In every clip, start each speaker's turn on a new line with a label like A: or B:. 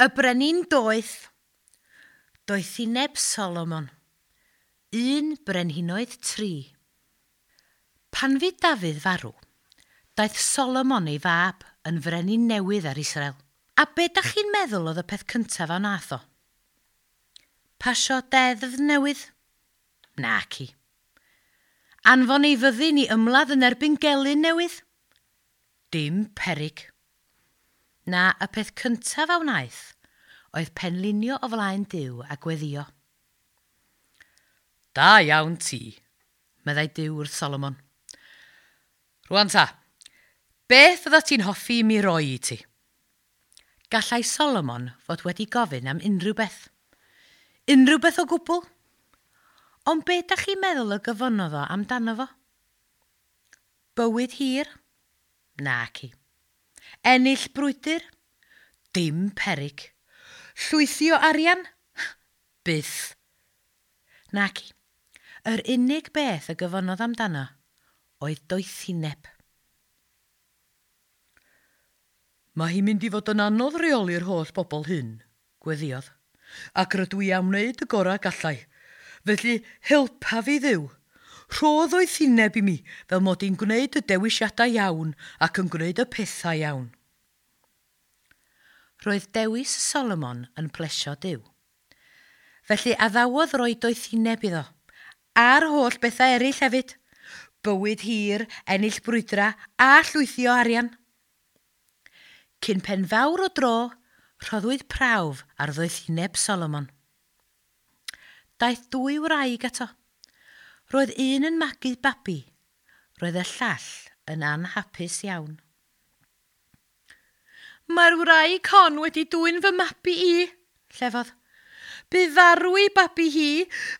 A: Y brenin doeth. Doethineb Solomon. 1 Brenhinoedd 3. Pan fu Dafydd farw, daeth Solomon ei fab yn frenin newydd ar Israel. A be da chi'n meddwl oedd y peth cyntaf a wnaeth o? Pasio deddf newydd? Naci. Anfon ei fyddin i ymladd yn erbyn gelyn newydd? Dim peryg. Na, y peth cyntaf a wnaeth oedd penlinio o flaen Duw a gweddio. Da iawn ti, meddai Duw wrth Solomon. Rwan ta, beth fydda ti'n hoffi i mi roi i ti? Gallai Solomon fod wedi gofyn am unrhyw beth. Unrhyw beth o gwbl. Ond be da chi'n meddwl y gyfonodd o amdano fo? Bywyd hir? Naci. Ennill brwydr? Dim peryg. Llwythi o arian? Byth. Naci. Yr unig beth y gyfonodd amdano oedd doethineb. Mae hi'n mynd i fod yn anodd reoli'r holl bobl hyn, gweddiodd, ac rydw i am wneud y gorau gallai. Felly helpa fi Dduw. Rho ddoethineb i mi fel mod i'n gwneud y dewisiadau iawn ac yn gwneud y pethau iawn. Roedd dewis Solomon yn plesio Duw. Felly addawodd roi doethineb iddo, a'r holl bethau eraill hefyd. Bywyd hir, ennill brwydra a llwythi o arian. Cyn pen fawr o dro, rhoddwyd prawf ar ddoethineb Solomon. Daeth dwy wraig ato. Roedd un yn magu babi. Roedd y llall yn anhapus iawn. Mae'r wraig hon wedi dwyn fy mabi i, llefodd. Bu farw ei babi hi,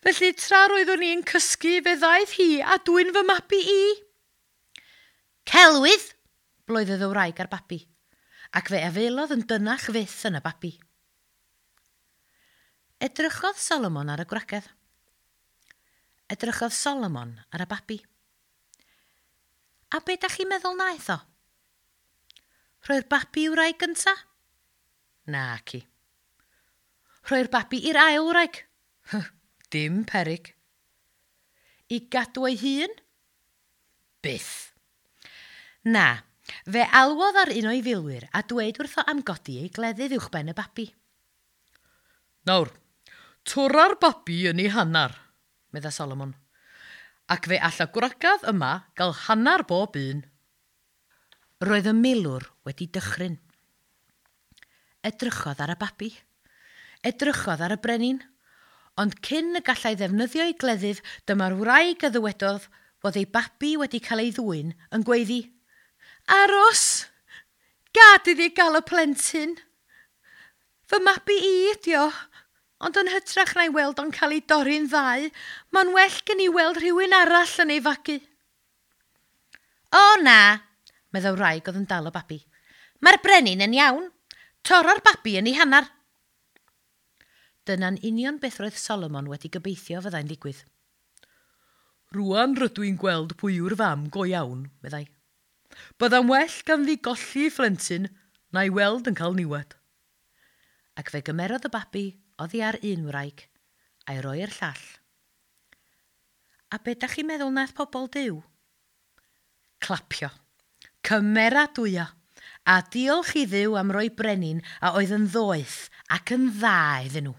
A: felly tra roeddwn i'n cysgu fe ddaeth hi a dwyn fy mabi i. Celwydd! bloeddodd y wraig ar babi, ac fe afaelodd yn dynach fyth yn y babi. Edrychodd Solomon ar y gwragedd. Edrychodd Solomon ar y babi. A be da chi'n meddwl wnaeth o? Rhoi'r babi i'w wraig gynta? Naci. Rhoi'r babi i'r ail wraig? Dim peryg. I gadw ei hun? Byth. Na, fe alwodd ar un o'i filwyr a dweud wrtho am godi ei gleddyf uwchben y babi. Nawr, torra'r babi yn ei hannar, medda Solomon, ac fe all y gwragedd yma gael hannar bob un. Roedd y milwr wedi dychryn. Edrychodd ar y babi. Edrychodd ar y brenin. Ond cyn y gallai ddefnyddio ei gleddyf, dyma'r wraig a ddywedodd fod ei babi wedi cael ei ddwyn yn gweiddi. Aros! Gad iddi gael y plentyn! Fy mabi i ydi o, ond yn hytrach na'i weld o'n cael ei dorri'n ddau, mae'n well gen i weld rhywun arall yn ei fagu. O na, meddai wraig oedd yn dal y babi. Mae'r brenin yn iawn. Torro'r babi yn ei hannar. Dyna'n union beth roedd Solomon wedi gobeithio fyddai'n digwydd. Rwan rydw i'n gweld pwy yw'r fam go iawn, meddai. Bydda'n well ganddi golli ei phlentyn na'i weld yn cael niwed. Ac fe gymerodd y babi oddi ar un wraig a'i roi i'r llall. A be da chi'n meddwl nath pobl Duw? Clapio. Cymeradwyo. A diolch i Dduw am roi brenin a oedd yn ddoeth ac yn dda iddyn nhw.